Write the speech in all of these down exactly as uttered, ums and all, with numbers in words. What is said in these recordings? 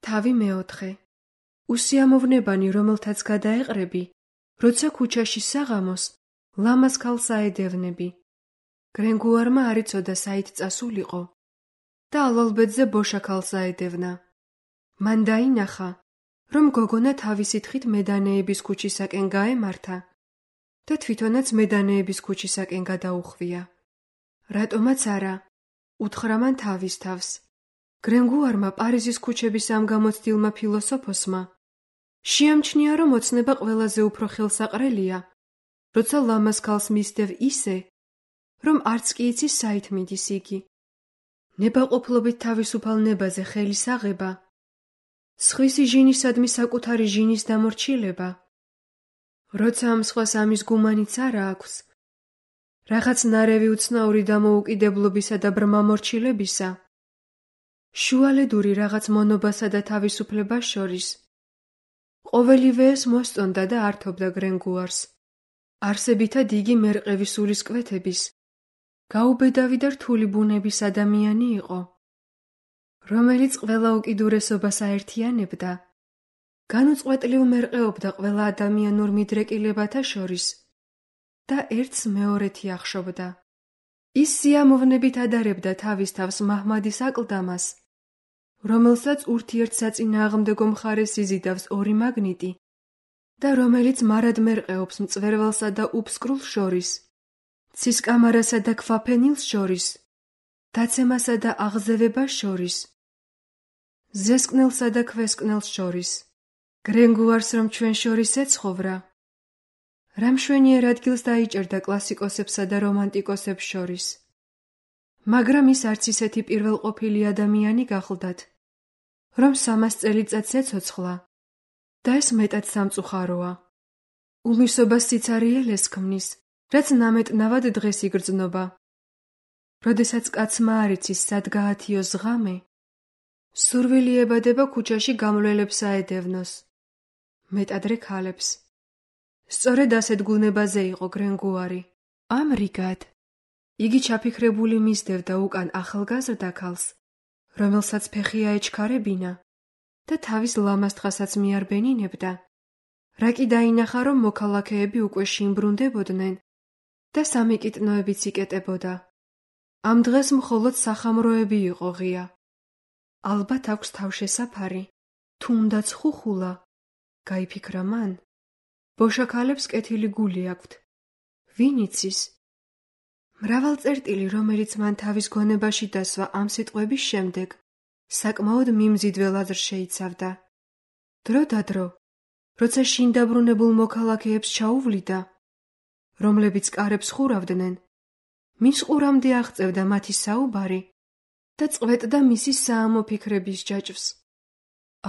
თავი მეოთხე. უსიამოვნებანი, რომელთაც გადაეყრები, როცა ქუჩაში საღამოს, ლამაზ ქალს აედევნები. გრენგუარმა არ იცოდა საით წასულიყო და ალალბედზე ბოშა ქალს აედევნა. მან დაინახა, რომ გოგონა თავისი თხით მედანეების ქუჩისაკენ გაემართა და თვითონაც მედანეების ქუჩისაკენ გადაუხვია. რატომაც არა, უთხრა მან თავის თავს. გრენგუარმა პარიზის ქუჩების ამ გამოცდილმა ფილოსოფოსმა შეამჩნია, რომ ოცნება ყველაზე უფრო ხელსაყრელია, როცა ლამაზ ქალს მისდევ ისე, რომ არც კი იცის საით მიდის იგი. ნებაყოფლობით თავისუფალ ნებაზე ხელის აღება, სხვისი ჟინისადმი საკუთარი ჟინის დამორჩილება, როცა ამ სხვას ამის გუმანიც არა აქვს, რაღაც ნარევი უცნაური დამოუკიდებლობისა და ბრმამორჩილებისა, შუალედური რაღაც მონობასა და თავისუფლებას შორის, ყოველივე ეს მოსწონდა და ართობდა გრენგუარს. არსებითად იგი მერყევი სულისკვეთების, გაუბედავი და რთული ბუნების ადამიანი იყო, რომელიც ყველა უკიდურესობას აერთიანებდა, განუწყვეტლივ მერყეობდა ყველა ადამიანურ მიდრეკილებათა შორის და ერთს მეორეთი ახშობდა. ის სიამოვნებით ადარებდა თავის თავს მაჰმადის აკლდამას, რომელსაც ურთიერთსაწინააღმდეგო მხარეს იზიდავს ორი მაგნიტი და რომელიც მარად მერყეობს მწვერვალსა და უფსკრულს შორის, ცისკამარასა და ქვაფენილს შორის, დაცემასა და აღზევებას შორის, ზესკნელსა და ქვესკნელს შორის. გრენგუარს რომ ჩვენ შორის ეცხოვრა, რა მშვენიერ ადგილს დაიჭერდა კლასიკოსებსა და რომანტიკოსებს შორის. მაგრამ ის არც ისეთი პირველყოფილი ადამიანი გახლდათ, რომ სამას წელიწადს ეცოცხლა და ეს მეტად სამწუხაროა. უმისობას სიცარიელეს ქმნის, რაც ნამეტნავად დღეს იგრძნობა. როდესაც კაცმა არ იცის სად გაათიოს ღამე, სურვილი ებადება ქუჩაში გამლველებს აედევნოს, მეტადრე ქალებს. სწორედ ასეთ გუნებაზე იყო გრენგუარი. ამრიგად, იგი ჩაფიქრებული მისდევდა უკან ახალგაზრდა ქალს, რომელსაც ფეხი აეჩქარებინა და თავის ლამაზ თხასაც მიარბენინებდა, რა კი დაინახა, რომ მოქალაქეები უკვე შიმბრუნდებოდნენ და სამიკიტნოებიც იკეტებოდა. ამ დღეს მხოლოდ სახამროები იყო ღია. ალბათ აქვს თავშესაფარი, თუნდაც ხუხულა, გაიფიქრა მან. ბოშაქალებს კეთილი გული აქვთ. ვინ იცის? მრავალ წერტილი, რომელიც მან თავის გონებაში დასვა ამ სიტყვების შემდეგ, საკმაოდ მიმზიდველ აზრს შეიცავდა. დრო და დრო, როცა შინ დაბრუნებულ მოქალაქეებს ჩაუვლიდა, რომლებიც კარებს ხურავდნენ, მის ყურამდე აღწევდა მათი საუბარი და წყვეტდა მისი საამო ფიქრების ჯაჭვს.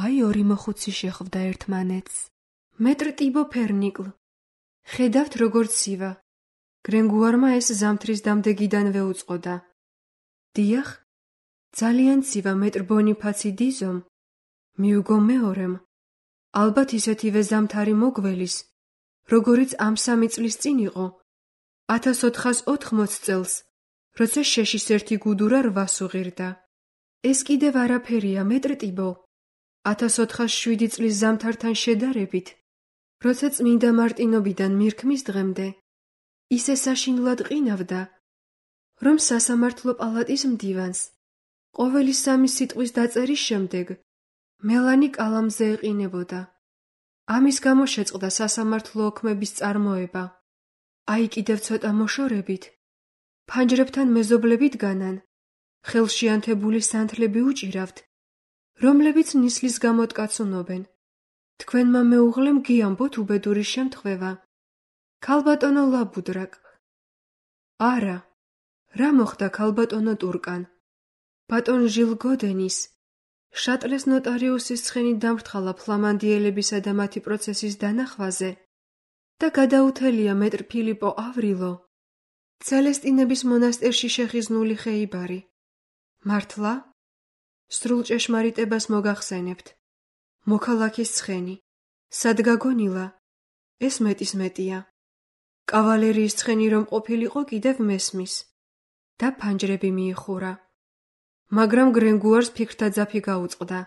აი ორი მოხუცი შეხვდა ერთმანეთს. მეტრ ტიბო ფერნიკლ. ხედავთ როგორ ცივა. გრენგუარმა ეს ზამთრის დამდეგიდანვე უწყოდა. დიახ, ძალიან ცივა მეტრ ბონიფაცი დიზომ, მიუგო მეორემ, ალბათ ისეთივე ზამთარი მოგველის, როგორიც ამ სამი წლის წინ იყო, ათას ოთხას ოთხმოც წელს, როცა შეშის ერთი გუდურა რვას უღირდა. ეს კიდევ არაფერია მეტრ ტიბო, ათას ოთხას შვიდი წლის ზამთართან შედარებით, როცა წმინდა მარტინობიდან მირქმის დღემდე, ისე საშინლად ყინავდა, რომ სასამართლო პალატის მდივანს, ყოველი სამი სიტყვის დაწერის შემდეგ, მელანი კალამზე ეყინებოდა. ამის გამო შეწყდა სასამართლო ოქმების წარმოება. აი კიდევ ცოტა მოშორებით, ფანჯრებთან მეზობლებით განან, ხელში ანთებული სანთლები უჭირავთ, რომლებიც ნისლის გამოდგაცუნობენ. თქვენმა მეუღლემ გიამბოთ უბედური შემთხვევა. ქალბატონო ლაბუდრაკ. არა, რა მოხდა ქალბატონო ტურკან? ბატონ ჟილ გოდენის, შატლეს ნოტარიუსის ცხენით დამრთყალა ფლამანდიელებისა და მათი პროცესის დანახვაზე და გადაუთელია მეტრ ფილიპო ავრილო, ცელესტინების მონასტერში შეხიზნული ხეიბარი. მართლა? სრულ ჭეშმარიტებას მოგახსენებთ. მოქალაქის ცხენი. სად გაგონილა? ეს მეტის მეტია. კავალერიის ცხენი რომ ყოფილიყო კიდევ მესმის და ფანჯრები მიიხურა. მაგრამ გრენგუარს ფიქრთა ძაფი გაუწყდა.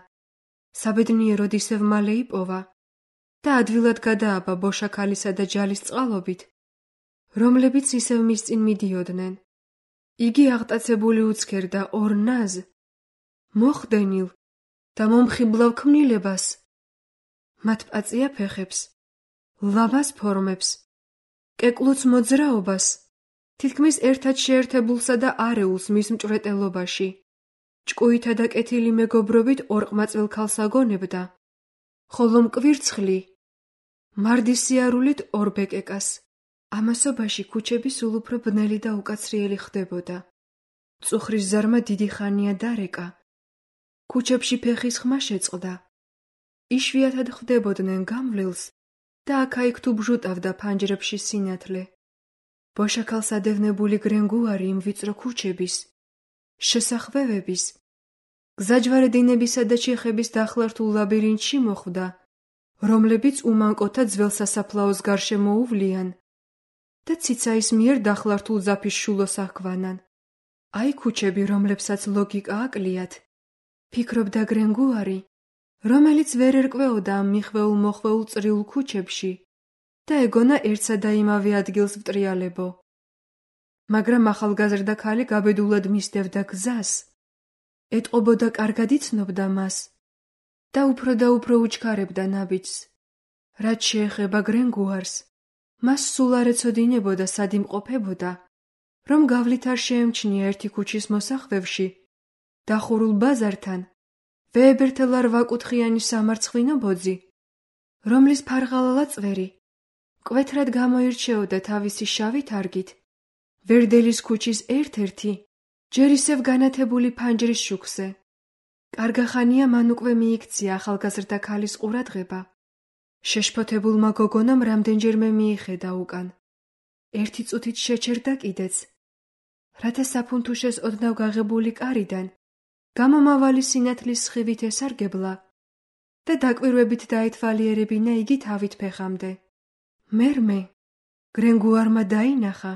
საბედნიეროდ ისევ მალე იპოვა და ადვილად გადააბა ბოშა ქალისა და ჯალის წყალობით, რომლებიც ისევ მის წინ მიდიოდნენ. იგი აღტაცებული უცქერდა ორ ნაზ, მოხდენილ და მომხიბლავ ქმნილებას, მათ პაწია ფეხებს, ლამაზ ფორმებს, კეკლუც მოძრაობას, თითქმის ერთად შეერთებულსა და არეულს მის მჭვრეტელობაში, ჭკუითა და კეთილი მეგობრობით ორყმაწვილ ქალს აგონებდა, ხოლო მკვირცხლი, მარდის სიარულით ორ ბეკეკას. ამასობაში ქუჩები სულ უფრო ბნელი და უკაცრიელი ხდებოდა. მწუხრის ზარმა დიდი ხანია დარეკა. ქუჩებში ფეხის ხმა შეწყდა. იშვიათად ხვდებოდნენ გამვლელს და აქა-იქ თუ ბჟუტავდა ფანჯრებში სინათლე. ბოშაქალს ადევნებული გრენგუარი იმ ვიწრო ქუჩების, შესახვევების, გზაჯვარედინებისა და ჩიხების დახლართულ ლაბირინთში მოხვდა, რომლებიც უმანკოთა ძველ სასაფლაოს გარშემო უვლიან და ციცაის მიერ დახლართულ ძაფის შულოს აჰქვანან. აი ქუჩები, რომლებსაც ლოგიკა აკლიათ, ფიქრობდა გრენგუარი, რომელიც ვერ ერკვეოდა ამ მიხვეულ მოხვეულ წრიულ ქუჩებში და ეგონა ერთსა და იმავე ადგილს ვტრიალებო. მაგრამ ახალგაზრდა ქალი გაბედულად მისდევდა გზას, ეტყობოდა კარგად იცნობდა მას და უფრო და უფრო უჩქარებდა ნაბიჯს. რაც შეეხება გრენგუარს, მას სულ არ ეცოდინებოდა სად იმყოფებოდა, რომ გავლით არ შეემჩნია ერთი ქუჩის მოსახვევში, დახურულ ბაზართან, ვეებერთელა რვაკუთხიანი სამარცხვინო ბოძი, რომლის ფარღალალა წვერი მკვეთრად გამოირჩეოდა თავისი შავი თარგით, ვერდელის ქუჩის ერთ-ერთი, ჯერ ისევ განათებული ფანჯრის შუქზე. კარგახანია მან უკვე მიიქცია ახალგაზრდა ქალის ყურადღება. შეშფოთებულმა გოგონამ რამდენჯერმე მიიხედა უკან. ერთი წუთით შეჩერდა კიდეც, რათა საფუნთუშეს ოდნავ გაღებული კარიდან გამომავალი სინათლის სხივით ესარგებლა და დაკვირვებით დაეთვალიერებინა იგი თავით ფეხამდე. მერმე გრენგუარმა დაინახა,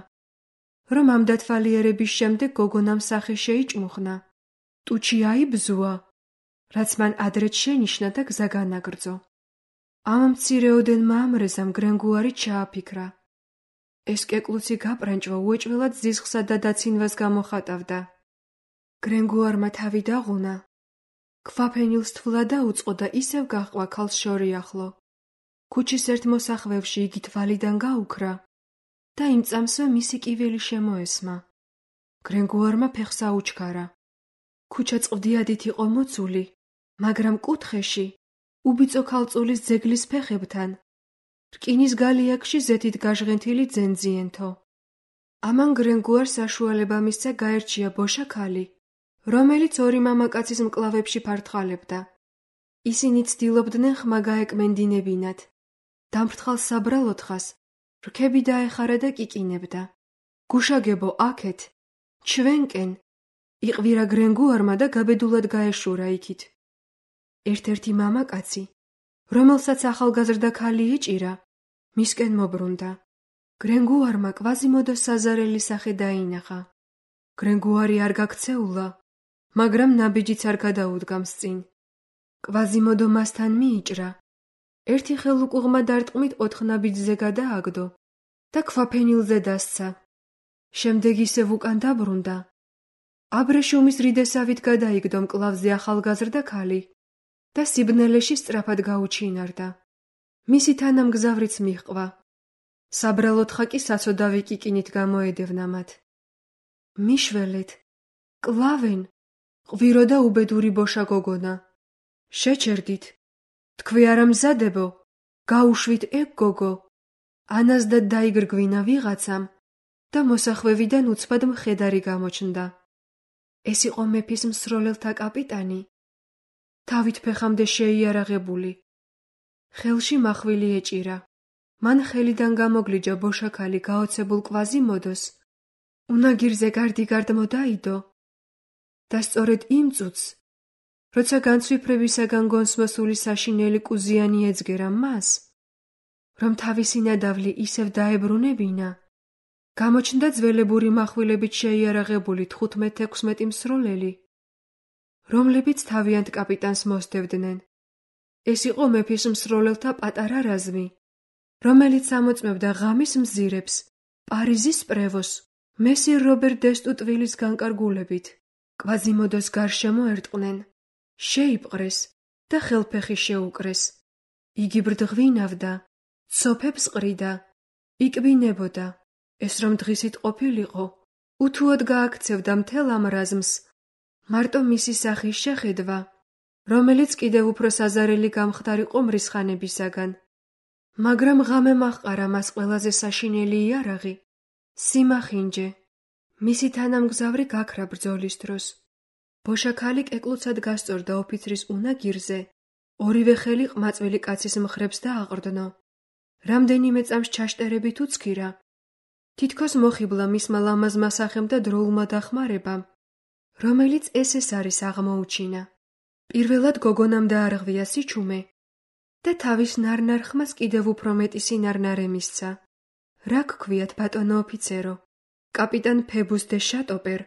რომ ამ დათვალიერების შემდეგ გოგონამ სახე შეიჭმუხნა, ტუჩი აიბზუა, რაც მან ადრეც შენიშნა და გზა განაგრძო. ამ მცირეოდენმა ამრეზამ გრენგუარი ჩააფიქრა. ეს კეკლუცი გაპრანჭვა უეჭველად ზიზღსა და დაცინვას გამოხატავდა. გრენგუარმა თავი დაღუნა, ქვაფენილს თვლა დაუწყო და ისევ გაჰყვა ქალს შორი ახლო. ქუჩის ერთ მოსახვევში იგი თვალიდან გაუქრა და იმ წამსვე მისი კივილი შემოესმა. გრენგუარმა ფეხს აუჩქარა. ქუჩა წყვდიადით იყო მოცული, მაგრამ კუთხეში, უბიწო ქალწულის ძეგლის ფეხებთან, რკინის გალიაკში ზეთით გაჟღენთილი ძენძიენთო. ამან გრენგუარს საშუალება მისცა გაერჩია ბოშა ქალი, რომელიც ორი მამაკაცის მკლავებში ფართხალებდა. ისინი ცდილობდნენ ხმა გაეკმენდინებინათ. დამფრთხალ საბრალოთხას რქები დაეხარა და კიკინებდა. გუშაგებო აქეთ, ჩვენკენ, იყვირა გრენგუარმა და გაბედულად გაეშურა იქით. ერთ-ერთი მამაკაცი, რომელსაც ახალგაზრდა ქალი ეჭირა, მისკენ მობრუნდა. გრენგუარმა კვაზიმოდო საზარელი სახე დაინახა. გრენგუარი არ გაქცეულა, მაგრამ ნაბიჯიც არ გადაუდგამს წინ. კვაზიმოდო მასთან მიიჭრა. ერთი ხელუკუღმა დარტყმით ოთხ ნაბიჯზე გადააგდო და ქვაფენილზე დასცა. შემდეგ ისევ უკან დაბრუნდა. აბრეშუმის რიდესავით გადაიგდო მკლავზე ახალგაზრდა ქალი და სიბნელეში სწრაფად გაუჩინარდა. მისი თანამგზავრიც მიჰყვა. საბრალოთხა კი საცოდავი კიკინით გამოედევნა მათ. მიშველეთ, კლავენ, ყვირო და უბედური ბოშა გოგონა. შეჩერდით, თქვი არა მზადებო, გაუშვით ეგ გოგო. ანაზდად დაიგრგვინა ვიღაცამ და მოსახვევიდან უცბად მხედარი გამოჩნდა. ეს იყო მეფის მსროლელთა კაპიტანი, თავით ფეხამდე შეიარაღებული. ხელში მახვილი ეჭირა. მან ხელიდან გამოგლიჯა ბოშა ქალი გაოცებულ კვაზიმოდოს, უნაგირზე გარდიგარდ მოდაიდო და სწორედ იმ წუთს, როცა განცვიფრებისაგან გონსმოსული საშინელი კუზიანი ეძგერა მას, რომ თავისი ნადავლი ისევ დაებრუნებინა, გამოჩნდა ძველებური מחვილებით შეიარაღებული თხუთმეტ-ექვსმეტი მსროლელი, რომლებიც თავიანთ კაპიტანს მოსდევდნენ. ეს იყო მეფის მსროლელთა პატარა რაზმი, რომელიც ამოწმებდა ღამის მზირებს, პარიზის პრევოს, მესირ რობერ დესტუ ტვილის განკარგულებით. კვაზიმოდოს გარშემო ერტყნენ, შეიპყრეს და ხელფეხი შეუკრეს. იგი ბრდღვინავდა, ცოფებს ყრიდა, იკბინებოდა. ეს რომ დღისით ყოფილიყო, უთუოდ გააქცევდა მთელ ამ რაზმს, მარტო მისი სახის შეხედვა, რომელიც კიდევ უფრო საზარელი გამხდარიყო მრისხანებისაგან. მაგრამ ღამე მაჰყარა მას ყველაზე საშინელი იარაღი, სიმახინჯე. მისი თანამგზავრი გაქრა ბრძოლის დროს. ბოშაქალი კეკლუცად გასწორდა ოფიცრის უნაგირზე, ორივე ხელი ყმაწვილი კაცის მხრებს დააყრდნო. რამდენიმე წამს ჩაშტერებით უცქირა. თითქოს მოხიბლა მისმა ლამაზმა სახემ და დროულმა დახმარებამ, რომელიც ეს-ეს არის აღმოუჩინა. პირველად გოგონამ დაარღვია სიჩუმე და თავის ნარნარ ხმას კიდევ უფრო მეტი სინარნარე მისცა. რა გქვიათ, ბატონო ოფიცერო? კაპიტან ფებუს დე შატოპერ,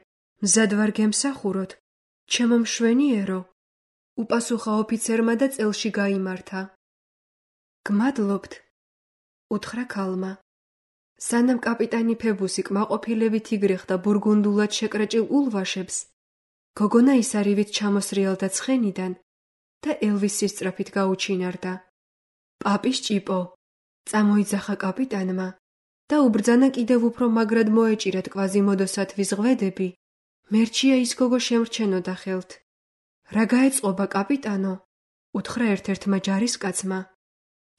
მზად ვარ გემსახუროთ, ჩემო მშვენიერო, უპასუხა ოფიცერმა და წელში გაიმართა. გმადლობთ, უთხრა ქალმა. სანამ კაპიტანი ფებუსი კმაყოფილებით იგრეხდა ბურგუნდულად შეკრეჭილ ულვაშებს, გოგონა ისარივით ჩამოსრიალდა ცხენიდან და ელვის სისწრაფით გაუჩინარდა. პაპის ჭიპო, წამოიძახა კაპიტანმა და უბრძანა კიდევ უფრო მაგრად მოეჭირათ კვაზიმოდოსათვის ღვედები. მერჩია ის გოგო შემრჩენოდა ხელთ. რა გაეწყობა კაპიტანო? უთხრა ერთ-ერთმა ჯარისკაცმა.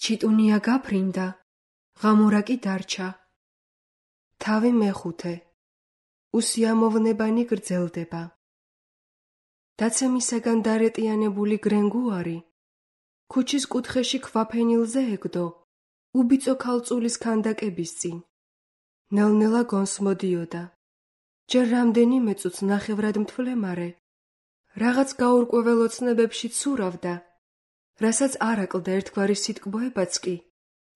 ჩიტუნია გაფრინდა, ღამურა კი დარჩა. თავი მეხუთე. უსიამოვნებანი გრძელდება. დაცემისაგან დარეტიანებული გრენგუარი ქუჩის კუთხეში ქვაფენილზე ეკდო, უბიწო ქალწულის ქანდაკების წინ. ნელ-ნელა გონს მოდიოდა. ჯერ რამდენიმე წუთს ნახევრად მთვლემარე, რაღაც გაურკვეველ ოცნებებში ცურავდა, რასაც არ აკლდა ერთგვარი სიტკბოებაც კი,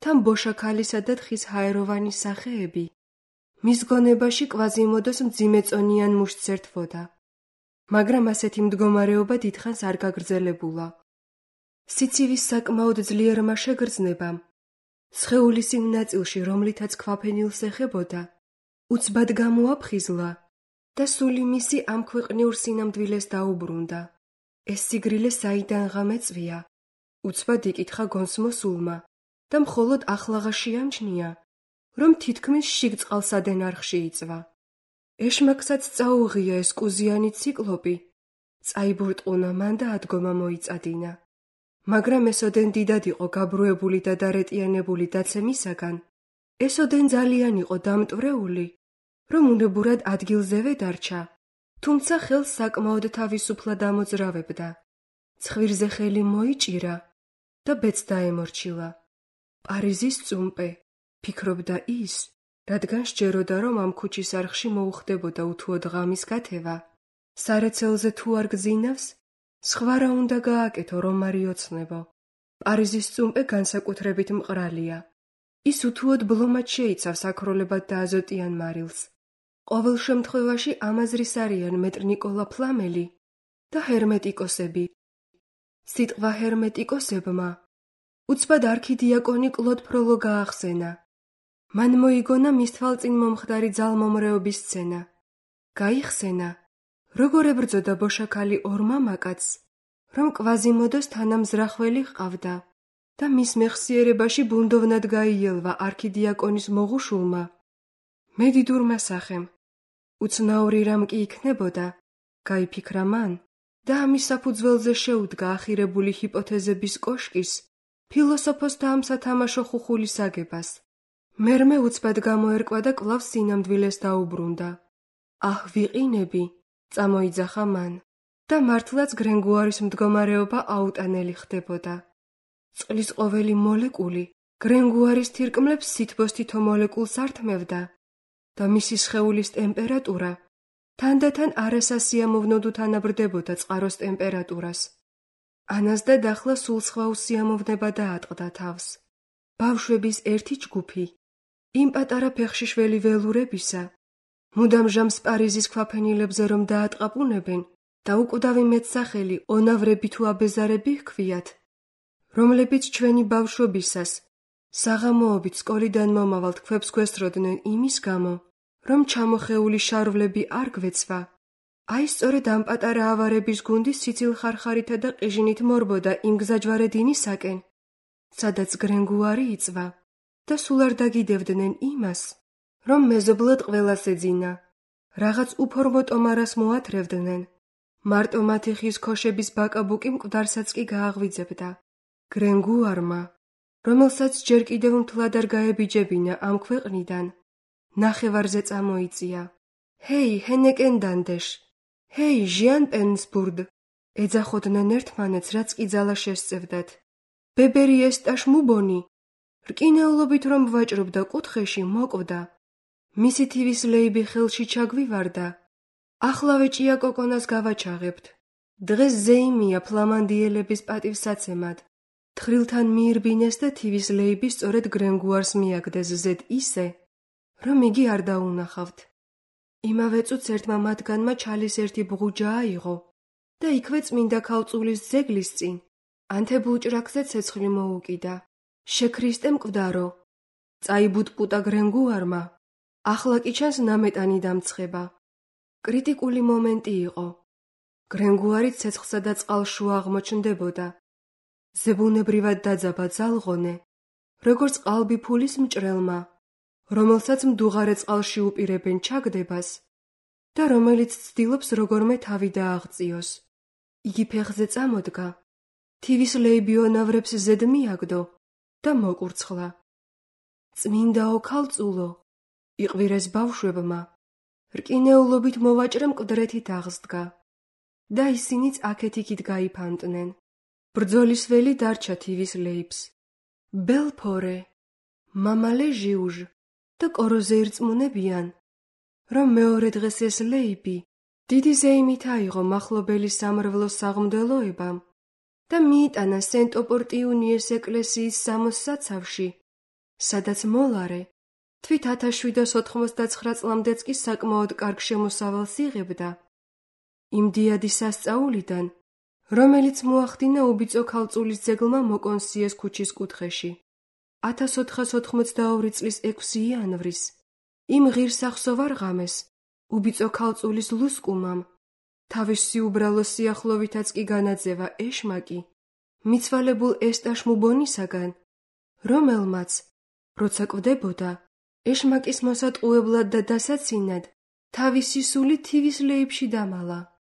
თან ბოშაქალისა და თხის ჰაეროვანის სახეები. მის გონებაში კვაზიმოდოს მძიმეწონიან მუშტს ერთვოდა. მაგრამ ასეთი მდგომარეობა დიდხანს არ გაგრძელებულა. სიცივის საკმაოდ ძლიერმა შეგრძნებამ, სხეულის იმ ნაწილში, რომლითაც ქვაფენილს ეხებოდა, უცბად გამოაფხიზლა და სული მისი ამ ქვეყნიურ სინამდვილეს დაუბრუნდა. ეს სიგრილე საიდანღა მეწვია? უცბად იკითხა გონს მოსულმა და მხოლოდ ახლაღა შეამჩნია, რომ თითქმის შიგ წყალსადენ არხში იწვა. ეშმაკსაც წაუღია ეს კუზიანი ციკლოპი, წაიბურტყუნა მან და ადგომა მოიწადინა. მაგრამ ესოდენ დიდად იყო გაბრუებული და დარეტიანებული დაცემისაგან, ესოდენ ძალიან იყო დამტვრეული, რომ უნებურად ადგილზევე დარჩა, თუმცა ხელს საკმაოდ თავისუფლად ამოძრავებდა. ცხვირზე ხელი მოიჭირა და ბედს დაემორჩილა. პარიზის წუმპე, ფიქრობდა ის, რადგან სჯეროდა, რომ ამ ქუჩის არხში მოუხდებოდა უთუოდ ღამის გათევა. სარეცელზე თუ არ გძინავს, სხვა რა უნდა გააკეთო, რომ არ იოცნებო. პარიზის წუმპე განსაკუთრებით მყრალია. ის უთუოდ ბლომად შეიცავს აქროლებად და აზოტიან მარილს. ყოველ შემთხვევაში ამაზრის არიან მეტრ ნიკოლა ფლამელი და ჰერმეტიკოსები. სიტყვა ჰერმეტიკოსებმა უცბად არქიდიაკონი კლოდ ფროლო გაახსენა. მან მოიგონა მის თვალწინ მომხდარი ძალმომრეობის სცენა. გაიხსენა, როგორ ებრძოდა ბოშაქალი ორ მამაკაცს, რომ კვაზიმოდოს თანამზრახველი ჰყავდა და მის მეხსიერებაში ბუნდოვნად გაიელვა არქიდიაკონის მოღუშულმა. მედიდურმა სახემ, უცნაური რამ კი იქნებოდა, გაიფიქრა მან და ამის საფუძველზე შეუდგა ახირებული ჰიპოთეზების კოშკის, ფილოსოფოსთა ამ სათამაშო ხუხულის აგებას. მერმე უცბად გამოერკვა და კვლავ სინამდვილეს დაუბრუნდა. აჰ, ვიყინები, წამოიძახა მან და მართლაც გრენგუარის მდგომარეობა აუტანელი ხდებოდა. წყლის ყოველი მოლეკული გრენგუარის თირკმლებს სითბოს თითო მოლეკულს ართმევდა და მისი სხეულის ტემპერატურა თანდათან არასასიამოვნოდ უთანაბრდებოდა წყაროს ტემპერატურას. ანას და დახლა სულ სხვა უსიამოვნება დაატყდა თავს. ბავშვების ერთი ჯგუფი, იმ პატარა ფეხშიშველი ველურებისა, მუდამ ჟამს პარიზის ქვაფენილებზე რომ დაატყაპუნებენ და უკვდავი მეტსახელი ონავრები თუ აბეზარები ჰქვიათ, რომლებიც ჩვენი ბავშვობისას, საღამოობით სკოლიდან მომავალ თქვებს გვესწროდნენ იმის გამო, რომ ჩამოხეული შარვლები არ გვეცვა. აი სწორედ ამ პატარა ავარების გუნდი სიცილხარხარითა და ყიჟინით მორბოდა იმ გზაჯვარე დინისაკენ, სადაც გრენგუარი იწვა და სულ არ დაგიდევდნენ იმას, რომ მეზობლად ყველას ეძინა, რაღაც უფორმო ტომარას მოათრევდნენ. მარტო მათი ხის ქოშების ბაკაბუკი მკვდარსაც კი გააღვიძებდა. გრენგუარმა, რომელსაც ჯერ კიდევ მთლად არ გაებიჯებინა ამ ქვეყნიდან, ნახევარზე წამოიწია. ჰეი, ჰენეკენ დანდეშ! ჰეი, ჟიან პენსბურდ! ეძახოდნენ ერთმანეთს, რაც კი ძალა შესწევდათ. ბებერი ესტაშ მუბონი! რკინეულობით რომ ვაჭრობდა კუთხეში, მოკვდა. მისი თივის ლეიბი ხელში ჩაგვივარდა. ახლავე ჭია კოკონას გავაჩაღებთ. დღეს ზეიმია ფლამანდიელების პატივსაცემად. თხრილთან მიირბინეს და თივის ლეიბი სწორედ გრენგუარს მიაგდეს ზედ ისე, რომ იგი არ დაუნახავთ. იმავე წუთს ერთმა მათგანმა ჩალის ერთი ბღუჯა აიღო და იქვე წმინდა ქალწულის ძეგლის წინ ანთებულ ჭრაკზე ცეცხლი მოუკიდა. შექრისტე მკვდარო, წაიბუტპუტა გრენგუარმა, ახლა კი ჩანს ნამეტანი დამცხება. კრიტიკული მომენტი იყო. გრენგუარი ცეცხლსა და წყალშუა აღმოჩნდებოდა. ზებუნებრივად დაძაბა ძალღონე, როგორც ყალბი ფულის მჭრელმა, რომელსაც მდუღარე წყალში უპირებენ ჩაგდებას და რომელიც ცდილობს როგორმე თავი დააღწიოს. იგი ფეხზე წამოდგა, თივის ლეიბიონავრებს ზედ მიაგდო და მოკურცხლა. წმინდაო ქალწულო, იყვირეს ბავშვებმა, რკინეულობით მოვაჭრე მკვდრეთით აღსდგა და ისინიც აქეთ-იქით გაიფანტნენ. ბრძოლის ველი დარჩა თივის ლეიბს. ბელფორე, მამალე ჟიუჟ და კოროზე ირწმუნებიან, რომ მეორე დღეს ეს ლეიბი დიდი ზეიმით აიღო მახლობელი სამრევლოს საღმდელოებამ და მიიტანა სენტ-ოპორტიუნიეს ეკლესიის სამოს საცავში, სადაც მოლარე თვით ათას შვიდას ოთხმოცდაცხრა წლამდეც კი საკმაოდ კარგ შემოსავალს იღებდა. იმ დიადი სასწაულიდან, რომელიც მოახდინა უბიწო ქალწულის ძეგლმა მოკონსიეს ქუჩის კუთხეში. ათას ოთხას ოთხმოცდაორი წლის ექვსი იანვრის, იმ ღირსახსოვარ ღამეს, უბიწო ქალწულის ლუსკუმამ, თავის სიუბრალო სიახლოვითაც კი განაძევა ეშმაკი, მიცვალებულ ესტაშ მუბონისაგან, რომელმაც, როცა კვდებოდა, ეშმაკის მოსატყუებლად და დასაცინად, თავისი სული თივის ლეიბში დამალა.